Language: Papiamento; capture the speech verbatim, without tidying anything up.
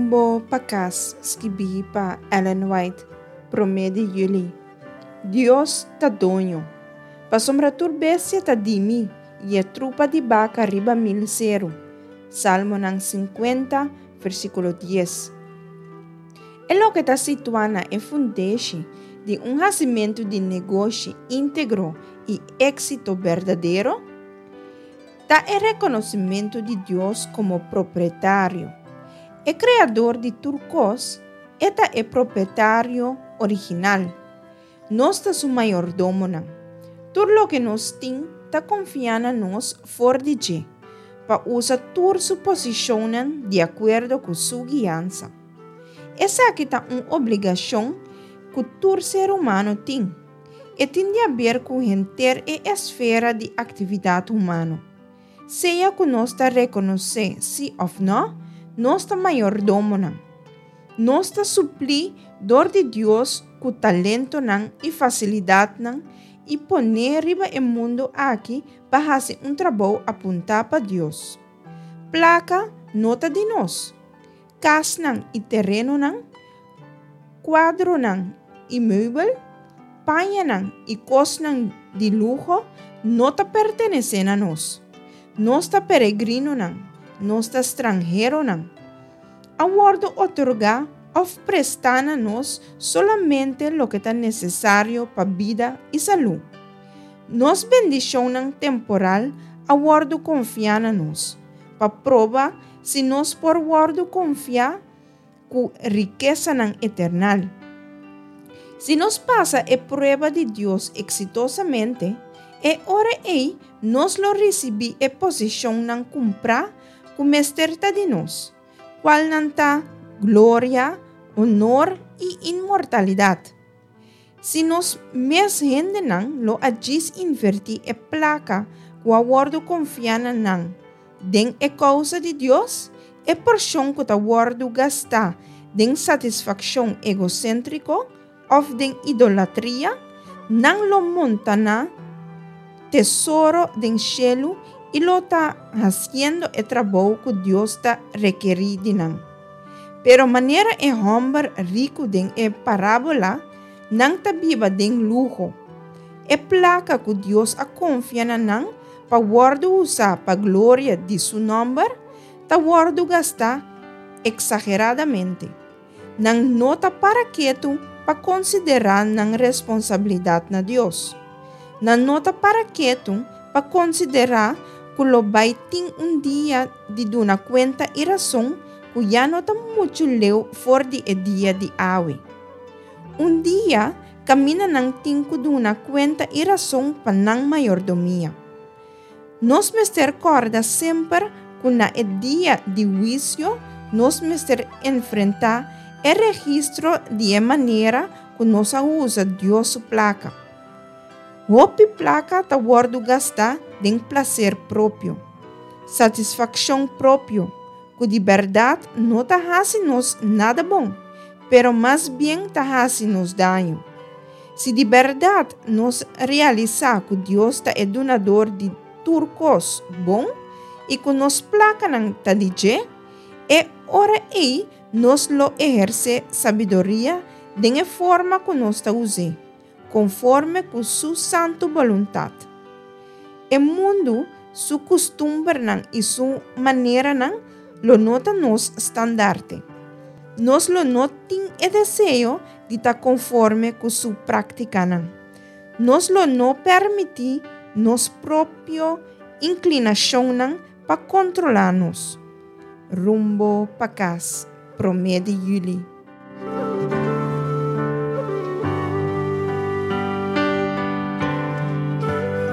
Rumbo pa Kas, skibí pa Ellen White, promé di yüli. Dios ta doño. Pasobra tur bestia ta di mi, i e trupa di baka riba mil seru. Salmonan sinkuenta, versíkulo dies. E loke ta situá na e fundeshi di un hasimentu di negoshi íntegro i éksito berdadero ta e rekonosementu di Dios komo propietario. E Kreador di tur kos, e ta e propietario original. Nos ta su mayordomonan. Tur loke nos tin ta konfiá na nos for di dje, pa usa tur su posishonnan di akuerdo ku su guiansa. Esaki ta un obligashon ku tur ser humano tin. E tin di aber ku henter e esfera di aktividat humano. Sea ku nos ta rekonosé si òf nò, nos ta mayordomonan. Nos ta suplí dor di Dios ku talentonan i fasilidatnan i poné riba e mundu aki pa hasi un trabou apuntá pa Dios. Plaka no ta di nos. Kasnan i terenonan, kuadronan i meubel, pañanan i kosnan di luho no ta pertenesé na nos. Nos ta peregrinonan, nos ta stranheronan. A wòrdu otorgá òf prestá na nos solamente loke ta nesesario pa bida i salú. Nos bendishonnan temporal a wòrdu konfiá na nos, pa proba si nos por wòrdu konfiá ku rikesanan eternal. Si nos pasa e prueba di Dios eksitosamente, e ora ei nos lo risibí e posishonnan kumprá ku mester ta di nos, kualnan ta gloria, honor i inmortalidat. Si nos mes hendenan lo a djis invertí e plaka ku a wòrdu konfiá na nan den e kousa di Dios, e porshon ku ta wòrdu gastá den satisfakshon egoséntriko òf den idolatria, nan lo montaná tesoro den shelu i lo ta hasiendo e trabou ku Dios ta rekerí di nan. Pero manera e hòmber riku den e parábola, nan ta biba den luho. E plaka ku Dios a konfia na nan pa wòrdu usá pa gloria di su nòmber, ta wòrdu gastá eksageradamente. Nan no ta para ketu pa konsiderá nan responsabilidat na Dios. Nan no ta para ketu pa konsiderá ku lo bai tin un dia di duna kuenta i rason ku ya no ta muchu leu for di e dia di awe. Un dia kaminda nan tin ku duna kuenta i rason pa nan mayordomia. Nos mester kòrda semper ku na e dia di huisio nos mester enfrentá e registro di e manera ku nos a usa Dios su plaka. Hopi plaka ta wòrdu gastá den plaser propio, satisfakshon propio, ku di bèrdat no ta hasi nos nada bon, pero mas bien ta hasi nos daño. Si di bèrdat nos realisá ku Dios ta e dunador di tur kos bon i ku nos plakanan ta di dje, e ora ei nos lo ehersé sabiduria den e forma ku nos ta us'é, konforme ku su santu boluntat. E mundu su kustumbernan i su maneranan lo no ta nos standarte. Nos lo no tin e deseo di ta konforme ku su práktikanan. Nos lo no permití nos propio inklinashonnan pa kontrolá nos. Rumbo pa Kas, promé di yüli.